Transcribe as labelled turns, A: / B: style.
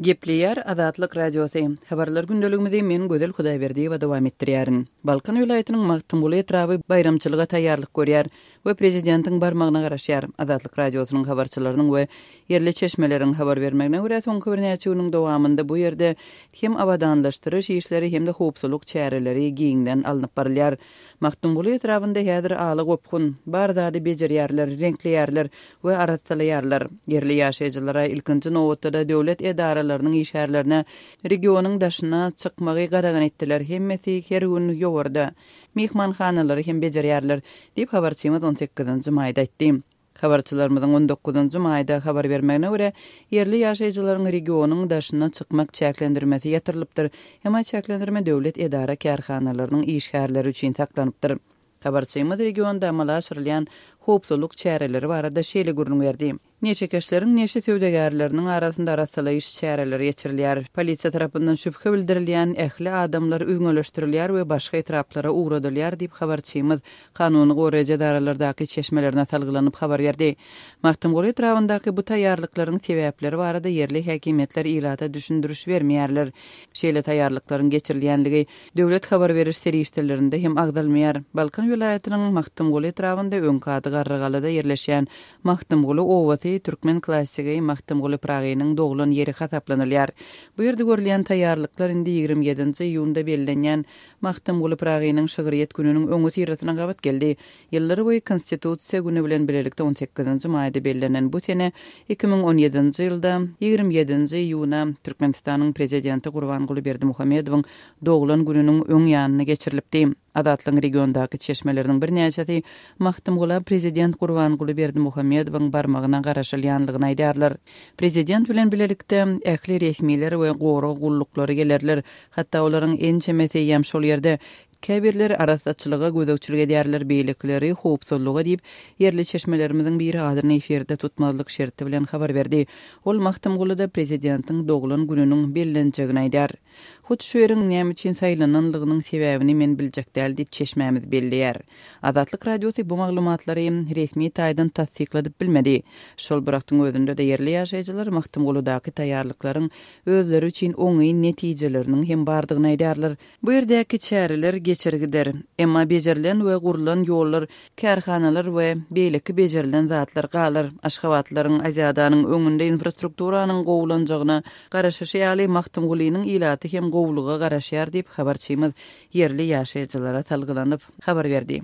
A: Gepleýär Azatlyk Radiosy. Habarlar gündeligimizi men Gözel Hudaýberdiýewa dowam etdirýärin. Balkan welaýatynyň Magtymguly etraby baýramçylyga taýýarlyk görýär we prezidentiň barmagyna garaşýar. Azatlyk Radiosynyň habarçylarynyň we ýerli çeşmeleriň habar bermegine görä, soňky birnäçe günüň dowamynda bu ýerde hem abadanlaşdyryş işleri hem-de howpsuzlyk çäreleri giňden alnyp barylýar. Magtymguly etrabynda häzir ala gopgun, bar zady bejerýärler, reňkleýärler we arassalaýarlar. Ýerli ýaşaýjylara, ilkinji nobatda-da döwlet edaralarynyň işgärlerine regionyň daşyna çykmagy gadagan etdiler, hemmesi her gün ýowarda. Myhmanhanalary hem bejerýärler, diýip, habarçymyz on sekizinji maýda aýtdy. Habarçylarymyzyň on dokuzynjy maýda habar bermegine görä, ýerli ýaşaýjylaryň regionyň daşyna çykmak çäklendirmesi ýatyrylypdyr, emma çäklendirme döwlet edara-kärhanalarynyň işgärleri üçin saklanypdyr. Habarçymyz regionda amala aşyrylýan howpsuzlyk çäreleri barada şeýle gürrüň berdi. Neşekeşleriň neşe söwdagärleriniň arasynda arassalaýyş çäreleri geçirilýär. Polisiýa tarapyndan şübhe bildirilýän ähli adamlar üzňeleşdirilýär we başga etraplara ugradylýar diýip, habarçymyz kanuny goraýjy edaralardaky çeşmelerine salgylanyp habar berdi. Magtymguly etrabyndaky bu taýýarlyklaryň sebäpleri barada ýerli häkimiýetler ilata düşündiriş bermeýärler. Şeýle taýýarlyklaryň geçirilýänligi döwlet habar beriş serişdelerinde hem agzalmaýar. Balkan welaýatynyň Magtymguly etrabynda öňki ady Garrygalada ýerleşýän Magtymguly obasy türkmen klassigi Magtymguly Pyragynyň doglan ýeri hasaplanylýar. Bu ýerde görülýän taýýarlyklar indi 27-nji iýunda bellenýän Magtymguly Pyragynyň şygryýet gününiň öňüsyrasyna gabat geldi. Ýyllar boýy Konstitusiýa güni bilen bilelikde on sekizinji maýda bellenen bu sene 2017-nji ýylda 27-nji iýuna Türkmenistanyň Prezidenti Gurbanguly Berdimuhamedowyň doglan gününiň öň ýanynda geçirilipdi. Azatlygyň regiondaky çeşmeleriniň birnäçesi Magtymgula prezident Gurbanguly Berdimuhamedowyň barmagyna garaşylýanlygyny aýdýarlar. Prezident bilen bilelikde ähli resmiler we gorag gulluklary gelerler. Hatda olaryň ençemesi eýýäm şol ýerde. Käbirleri arassaçylyga gözegçilik edýärler, beýlekileri howpsuzlyga diýip, ýerli çeşmelerimiziň biri adyny efirde tutmazlyk şerti bilen habar berdi. Ol Magtymgulyda prezidentiň doglan gününiň bellenjegini aýdýar. Hut şu ýeriň näme üçin saýlananlygynyň sebäbini men biljek däl diýip, çeşmämiz belleýär. Azatlyk Radiosy bu maglumatlary resmi taýdan tassykladyp bilmedi. Şol bir wagtyň özünde-de ýerli ýaşaýjylar Magtymguludaky taýýarlyklaryň özleri üçin oňyn netijeleriniň hem bardygyny aýdýarlar. Bu ýerdäki çäreler geçer gider. Emma bejerilen we gurlan ýollar, kärhanalar we beýleki bejerilen zatlar galar. Aşgabatlylaryň Aziadanyň öňünde infrastrukturanyň gowulanjagyna garaşyşy ýaly, Magtymgulynyň ilaty hem gowulyga garaşýar diýip, habarçymyz ýerli ýaşaýjylara salgylanyp habar berdi.